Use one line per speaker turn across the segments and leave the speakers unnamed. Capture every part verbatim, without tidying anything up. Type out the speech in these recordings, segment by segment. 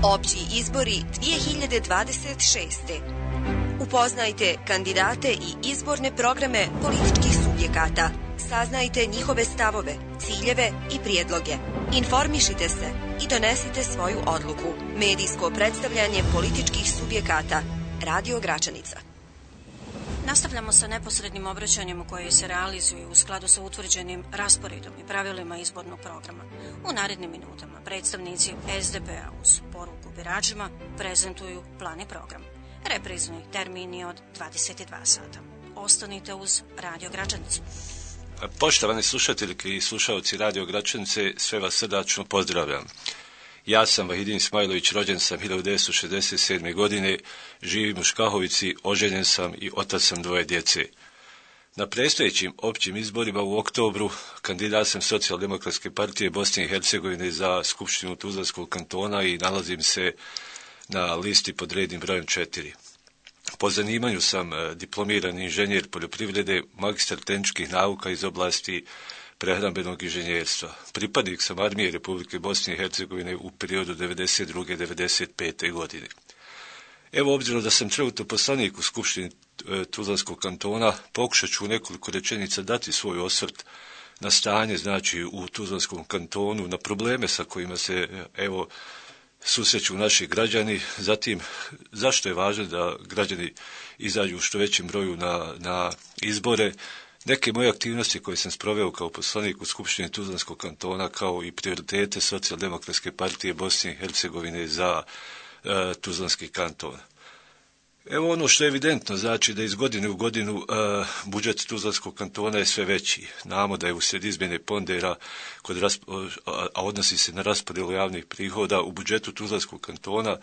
Opći izbori dvije hiljade dvadeset šeste. Upoznajte kandidate i izborne programe političkih subjekata. Saznajte njihove stavove, ciljeve i prijedloge. Informišite se i donesite svoju odluku. Medijsko predstavljanje političkih subjekata. Radio Gračanica.
Nastavljamo sa neposrednim obraćanjem koje se realizuju u skladu sa utvrđenim rasporedom i pravilima izbornog programa. U narednim minutama predstavnici S D P-a uz poruku biračima prezentuju plan i program. Reprizni termin je od dvadeset dva sata. Ostanite uz Radio Gračanicu.
Poštovani slušatelji i slušalci Radio Gračanice, sve vas srdačno pozdravljam. Ja sam Vahidin Ismailović, rođen sam hiljadu devetsto šezdeset sedme. godine, živim u Škahovici, oženjen sam i otac sam dvoje djece. Na predstojećim općim izborima u oktobru kandidat sam Socijaldemokratske partije Bosne i Hercegovine za Skupštinu Tuzlanskog kantona i nalazim se na listi pod rednim brojem četiri. Po zanimanju sam diplomirani inženjer poljoprivrede, magistar tehničkih nauka iz oblasti prehrambenog inženjerstva. Pripadnik sam armije Republike Bosne i Hercegovine u periodu devedeset druge do devedeset pete. godine. Evo, obzirom da sam trenutno poslanik u Skupštini Tuzlanskog kantona, pokušat ću u nekoliko rečenica dati svoj osvrt na stanje, znači, u Tuzlanskom kantonu, na probleme sa kojima se, evo, susreću naši građani, zatim zašto je važno da građani izađu u što većem broju na, na izbore, neke moje aktivnosti koje sam sproveo kao poslanik u Skupštini Tuzlanskog kantona, kao i prioritete Socijaldemokratske partije Bosne i Hercegovine za uh, Tuzlanski kanton. Evo ono što je evidentno, znači da iz godine u godinu uh, budžet Tuzlanskog kantona je sve veći. Znamo da je uslijed izmjene pondera, kod rasp- a odnosi se na raspodjelu javnih prihoda u budžetu Tuzlanskog kantona,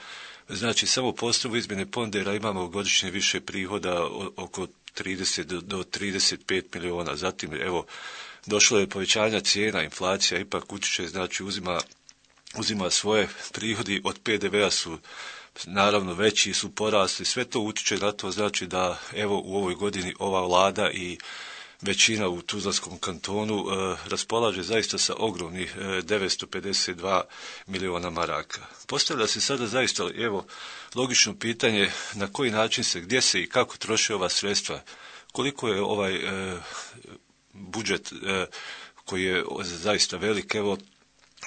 znači samo po osnovu izmjene pondera imamo godišnje više prihoda oko trideset do trideset pet miliona. Zatim, evo, došlo je povećanja cijena, inflacija ipak utječe, znači uzima, uzima svoje prihodi od P D V-a su naravno veći, su porasli, sve to utječe na to, znači da evo u ovoj godini ova vlada i većina u Tuzlanskom kantonu e, raspolaže zaista sa ogromnih e, devetsto pedeset dva miliona maraka. Postavlja se sada zaista, evo, logično pitanje na koji način se, gdje se i kako troše ova sredstva, koliko je ovaj e, budžet e, koji je zaista velik, evo,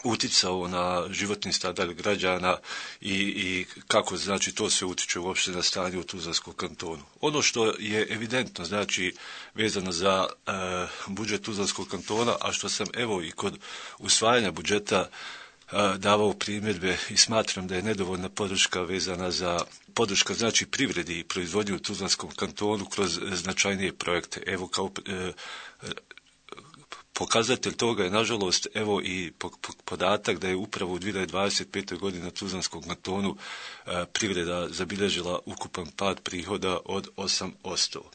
uticao na životni standard građana i, i kako, znači, to sve utiče uopšte na stanje u Tuzlanskom kantonu. Ono što je evidentno, znači, vezano za e, budžet Tuzlanskog kantona, a što sam, evo, i kod usvajanja budžeta e, davao primjedbe i smatram da je nedovoljna podrška vezana za podrška, znači, privredi i proizvodnju u Tuzlanskom kantonu kroz značajnije projekte. Evo, kao e, pokazatelj toga je, nažalost, evo i podatak da je upravo u dvije hiljade dvadeset pete. godine na Tuzlanskom kantonu e, privreda zabilježila ukupan pad prihoda od osam posto.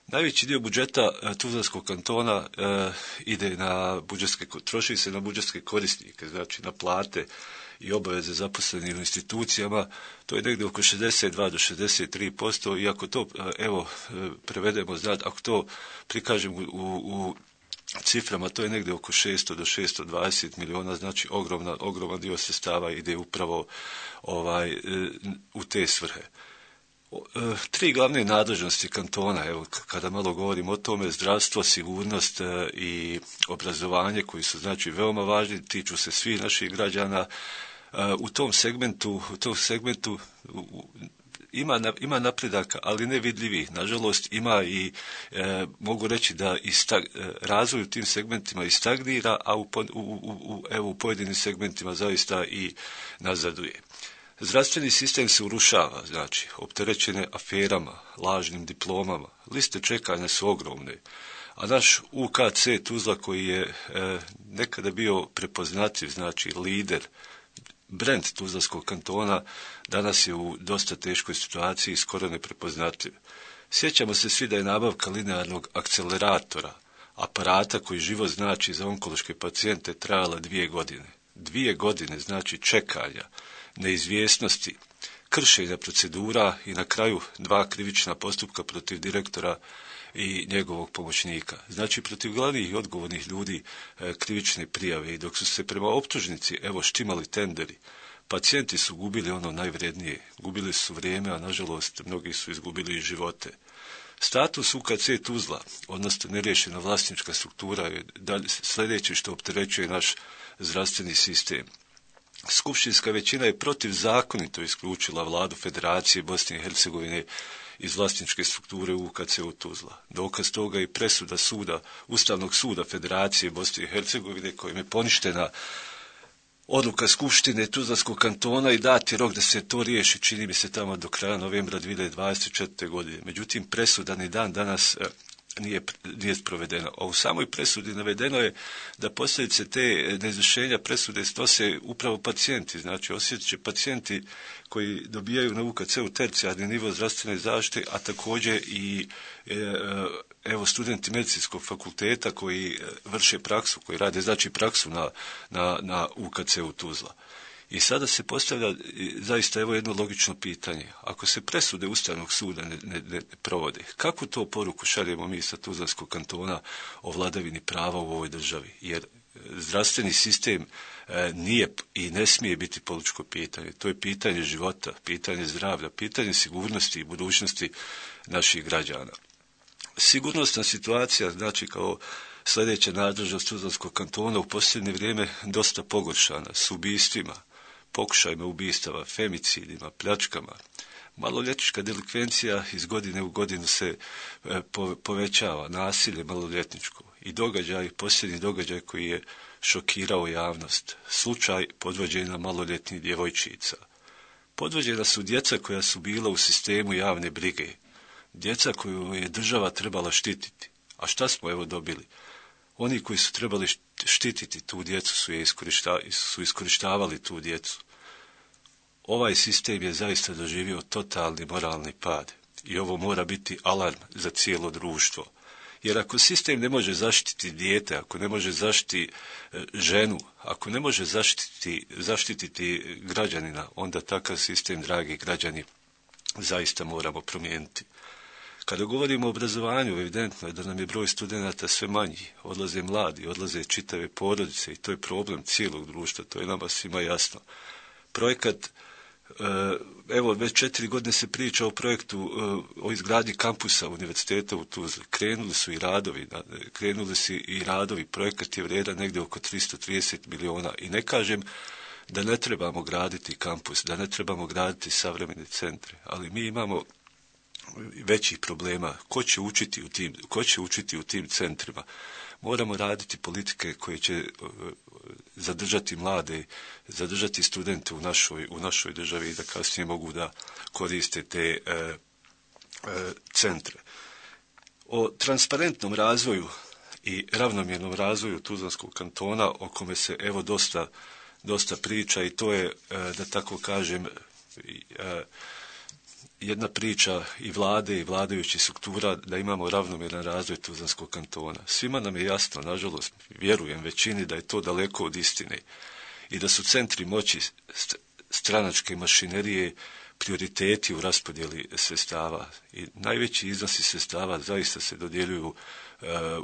Najveći dio budžeta e, Tuzlanskog kantona e, ide na budžetske, troši se na budžetske korisnike, znači na plate i obaveze zaposlenih u institucijama, to je negdje oko šezdeset dva do šezdeset tri posto i ako to, evo, prevedemo, znači, ako to prikažemo u, u ciframa, to je negdje oko šesto do šesto dvadeset miliona, znači ogromna, ogroman dio sredstava ide upravo ovaj, u te svrhe. Tri glavne nadležnosti kantona, evo, kada malo govorim o tome, zdravstvo, sigurnost i obrazovanje, koji su, znači, veoma važni, tiču se svih naših građana. U tom segmentu, u tom segmentu Ima, ima napredaka, ali ne vidljivih. Nažalost, ima i, e, mogu reći da i stag, razvoj u tim segmentima i stagnira, a u, u, u, u, evo, u pojedinim segmentima zaista i nazaduje. Zdravstveni sistem se urušava, znači, opterećene aferama, lažnim diplomama, liste čekanja su ogromne, a naš U K C Tuzla, koji je e, nekada bio prepoznatljiv, znači lider, brend Tuzlanskog kantona, danas je u dosta teškoj situaciji, skoro neprepoznatljiv. Sjećamo se svi da je nabavka linearnog akceleratora, aparata koji život znači za onkološke pacijente, trajala dvije godine. Dvije godine znači čekanja, neizvjesnosti, kršenja procedura i na kraju dva krivična postupka protiv direktora i njegovog pomoćnika. Znači, protiv glavnih i odgovornih ljudi e, krivične prijave, i dok su se prema optužnici, evo, štimali tenderi, Pacijenti su gubili ono najvrednije, gubili su vrijeme, a nažalost mnogi su izgubili i živote. Status U K C Tuzla, odnosno neriješena vlasnička struktura, je sljedeće što opterećuje naš zdravstveni sistem. Skupštinska većina je protivzakonito isključila vladu Federacije Bosne i Hercegovine iz vlasničke strukture U K C Tuzla. Dokaz toga je presuda suda, Ustavnog suda Federacije Bosne i Hercegovine, kojim je poništena odluka Skupštine Tuzlanskog kantona i dati rok da se to riješi, čini mi se tamo do kraja novembra dvije hiljade dvadeset četvrte. godine. Međutim, presuda ni dan danas nije, nije sprovedena. A u samoj presudi navedeno je da posljedice te neizvršenja presude snose upravo pacijenti. Znači, osjetit će pacijenti koji dobijaju na U K C-u tercijarni nivo zdravstvene zaštite, a također i evo studenti medicinskog fakulteta koji vrše praksu, koji rade znači praksu na, na, na U K C-u Tuzla. I sada se postavlja zaista evo jedno logično pitanje. Ako se presude Ustavnog suda ne, ne, ne provode, kakvu to poruku šaljemo mi sa Tuzlanskog kantona o vladavini prava u ovoj državi? Jer zdravstveni sistem e, nije i ne smije biti političko pitanje. To je pitanje života, pitanje zdravlja, pitanje sigurnosti i budućnosti naših građana. Sigurnosna situacija, znači kao sljedeća nadležnost Tuzlanskog kantona u posljednje vrijeme dosta pogoršana s ubistvima, pokušajima ubistava, femicidima, pljačkama. Maloljetnička delikvencija iz godine u godinu se e, po, povećava, nasilje maloljetničko i događaj, posljednji događaj koji je šokirao javnost, slučaj podvođenja maloljetnih djevojčica. Podvođena su djeca koja su bila u sistemu javne brige, djeca koju je država trebala štititi. A šta smo evo dobili? Oni koji su trebali štititi tu djecu su, je iskorišta, su iskorištavali tu djecu. Ovaj sistem je zaista doživio totalni moralni pad i ovo mora biti alarm za cijelo društvo. Jer ako sistem ne može zaštiti dijete, ako ne može zaštiti ženu, ako ne može zaštiti, zaštititi građanina, onda takav sistem, dragi građani, zaista moramo promijeniti. Kada govorimo o obrazovanju, evidentno je da nam je broj studenata sve manji, odlaze mladi, odlaze čitave porodice i to je problem cijelog društva, to je nama svima jasno. Projekat, evo već četiri godine se priča o projektu o izgradnji kampusa univerziteta u Tuzli. Krenuli su i radovi, krenuli su i radovi, projekat je vrijedan negdje oko tristo trideset miliona i ne kažem da ne trebamo graditi kampus, da ne trebamo graditi savremene centre, ali mi imamo većih problema. Ko će učiti u tim, ko će učiti u tim centrima? Moramo raditi politike koje će zadržati mlade, zadržati studente u našoj, u našoj državi i da kasnije mogu da koriste te e, e, centre. O transparentnom razvoju i ravnomjernom razvoju Tuzlanskog kantona, o kome se evo dosta, dosta priča i to je, e, da tako kažem, e, jedna priča i vlade i vladajućih struktura da imamo ravnomjeran razvoj Tuzlanskog kantona. Svima nam je jasno, nažalost, vjerujem većini da je to daleko od istine i da su centri moći stranačke mašinerije prioriteti u raspodjeli sredstava i najveći iznosi sredstava zaista se dodjeljuju uh,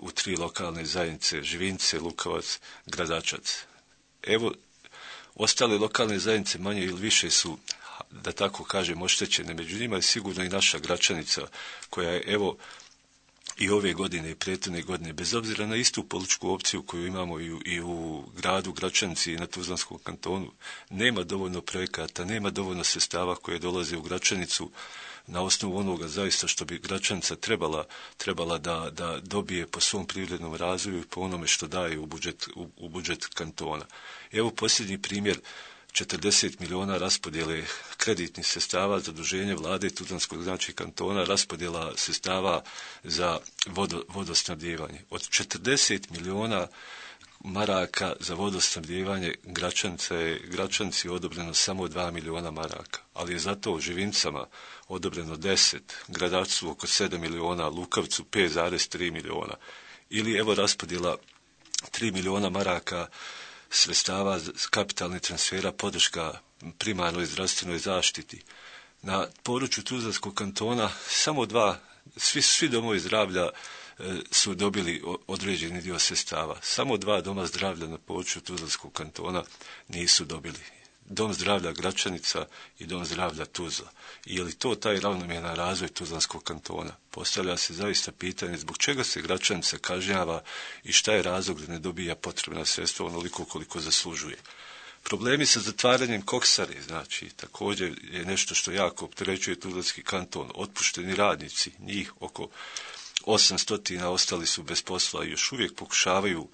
u tri lokalne zajednice, Živince, Lukovac, Gradačac. Evo, ostale lokalne zajednice manje ili više su, da tako kažem, oštećene. Među njima je sigurno i naša Gračanica, koja je, evo, i ove godine i prethodne godine, bez obzira na istu političku opciju koju imamo i u, i u gradu Gračanici i na Tuzlanskom kantonu, nema dovoljno projekata, nema dovoljno sredstava koje dolaze u Gračanicu na osnovu onoga zaista što bi Gračanica trebala, trebala da, da dobije po svom privrednom razvoju i po onome što daje u budžet, u, u budžet kantona. Evo posljednji primjer, četrdeset miliona raspodjele kreditnih sredstava, zaduženje vlade Tuzlanskog znači kantona, raspodjela sredstava za vodo, vodosnabdijevanje. Od četrdeset miliona maraka za vodosnabdijevanje Gračanica je Gračanici odobreno samo dva miliona maraka, ali je zato u Živincama odobreno deset, Gradačcu oko sedam miliona, Lukavcu pet zarez tri miliona. Ili evo raspodjela tri miliona maraka sredstava kapitalnih transfera, podrška primarnoj zdravstvenoj zaštiti. Na području Tuzlanskog kantona samo dva, svi, svi domovi zdravlja e, su dobili određeni dio sredstava. Samo dva doma zdravlja na području Tuzlanskog kantona nisu dobili. Dom zdravlja Gračanica i Dom zdravlja Tuzla. I je li to taj ravnomjeran razvoj Tuzlanskog kantona? Postavlja se zaista pitanje zbog čega se Gračanica kažnjava i šta je razlog da ne dobija potrebna sredstva onoliko koliko zaslužuje. Problemi sa zatvaranjem koksare, znači, također je nešto što jako opterećuje Tuzlanski kanton. Otpušteni radnici, njih oko osamsto ostali su bez posla i još uvijek pokušavaju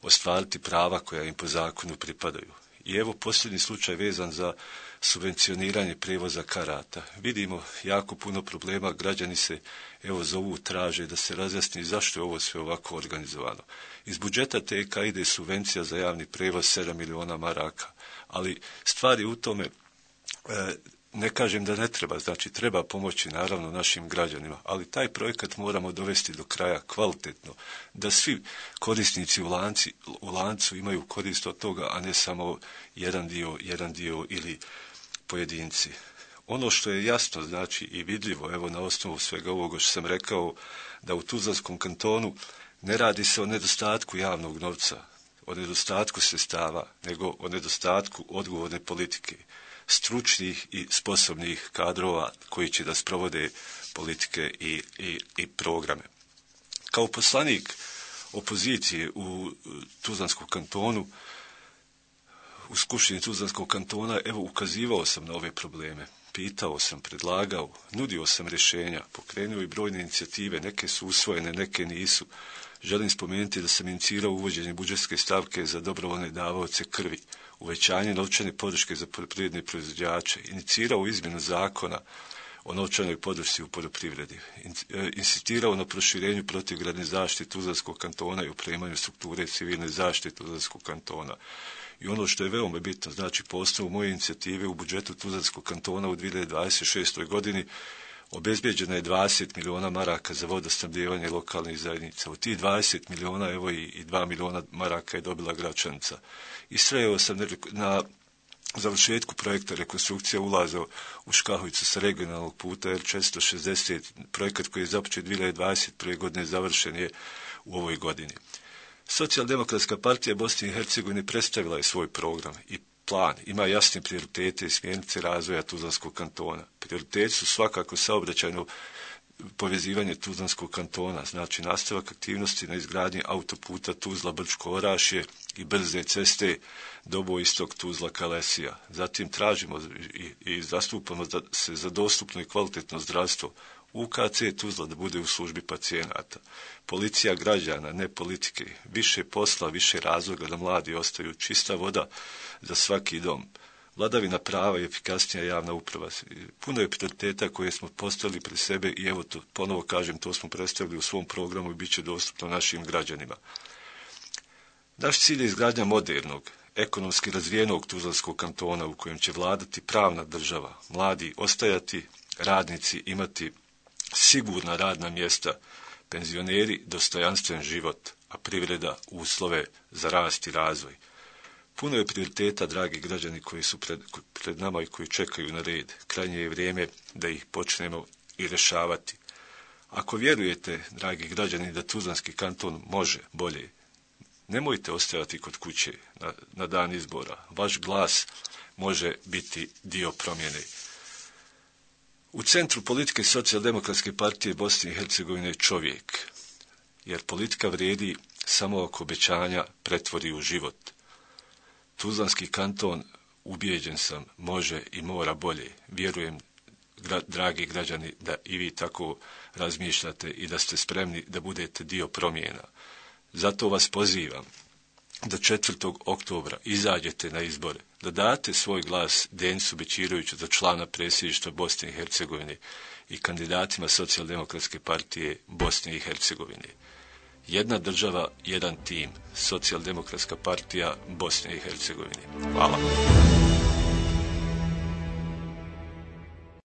ostvariti prava koja im po zakonu pripadaju. I evo posljednji slučaj vezan za subvencioniranje prijevoza karata. Vidimo jako puno problema, građani se evo zovu, traže da se razjasni zašto je ovo sve ovako organizovano. Iz budžeta T K ide subvencija za javni prijevoz sedam miliona maraka, ali stvar je u tome, e, ne kažem da ne treba, znači treba pomoći naravno našim građanima, ali taj projekat moramo dovesti do kraja kvalitetno, da svi korisnici u, lanci, u lancu imaju korist od toga, a ne samo jedan dio, jedan dio ili pojedinci. Ono što je jasno, znači i vidljivo, evo na osnovu svega ovoga što sam rekao, da u Tuzlanskom kantonu ne radi se o nedostatku javnog novca, o nedostatku sredstava, nego o nedostatku odgovorne politike, stručnih i sposobnih kadrova koji će da sprovode politike i, i, i programe. Kao poslanik opozicije u Tuzlanskom kantonu, u Skupštini Tuzlanskog kantona, evo ukazivao sam na ove probleme, pitao sam, predlagao, nudio sam rješenja, pokrenuo i brojne inicijative, neke su usvojene, neke nisu. Želim spomenuti da sam inicirao uvođenje budžetske stavke za dobrovoljne davaoce krvi, uvećanje novčane podrške za poljoprivredne proizvođače, inicirao izmjenu zakona o novčanoj podršci u poljoprivredi, insistirao na proširenju protivgradne zaštite Tuzlanskog kantona i opremanju strukture civilne zaštite Tuzlanskog kantona. I ono što je veoma bitno, znači po osnovu moje inicijative u budžetu Tuzlanskog kantona u dvije hiljade dvadeset šestoj. godini obezbeđeno je dvadeset miliona maraka za vodosnabdijevanje lokalnih zajednica. U tih dvadeset miliona, evo i, i dva miliona maraka je dobila Gračanica. Istrajao sam na završetku projekta rekonstrukcija ulaza u Škahovicu sa regionalnog puta R četiristo šezdeset, projekat koji je započet dvije hiljade dvadeset prve. godine završen je u ovoj godini. Socijaldemokratska partija Bosne i Hercegovine predstavila je svoj program i plan, ima jasne prioritete i smjernice razvoja Tuzlanskog kantona. Prioriteti su svakako saobraćajno povezivanje Tuzlanskog kantona, znači nastavak aktivnosti na izgradnji autoputa Tuzla-Brčko-Orašje i brze ceste Doboj-Istok Tuzla-Kalesija. Zatim tražimo i, i zastupamo da se za dostupno i kvalitetno zdravstvo U K C Tuzla da bude u službi pacijenata. Policija građana, ne politike. Više posla, više razloga da mladi ostaju, čista voda za svaki dom. Vladavina prava i efikasnija javna uprava. Puno je prioriteta koje smo postavili pred sebe i evo to, ponovo kažem, to smo predstavili u svom programu i bit će dostupno našim građanima. Naš cilj je izgradnja modernog, ekonomski razvijenog Tuzlanskog kantona u kojem će vladati pravna država, mladi ostajati, radnici imati sigurna radna mjesta, penzioneri dostojanstven život, a privreda uslove za rast i razvoj. Puno je prioriteta, dragi građani, koji su pred, pred nama i koji čekaju na red. Krajnje je vrijeme da ih počnemo i rješavati. Ako vjerujete, dragi građani, da Tuzlanski kanton može bolje, nemojte ostajati kod kuće na, na dan izbora. Vaš glas može biti dio promjene. U centru politike Socijaldemokratske partije Bosne i Hercegovine je čovjek, jer politika vrijedi samo ako obećanja pretvori u život. Tuzlanski kanton, ubijeđen sam, može i mora bolje. Vjerujem, gra, dragi građani, da i vi tako razmišljate i da ste spremni da budete dio promjena. Zato vas pozivam da četvrtog oktobra izađete na izbore, da date svoj glas Denisu Bećiroviću za člana predsjedništva Bosne i Hercegovine i kandidatima Socijaldemokratske partije Bosne i Hercegovine. Jedna država, jedan tim, Socijaldemokratska partija Bosne i Hercegovine. Hvala.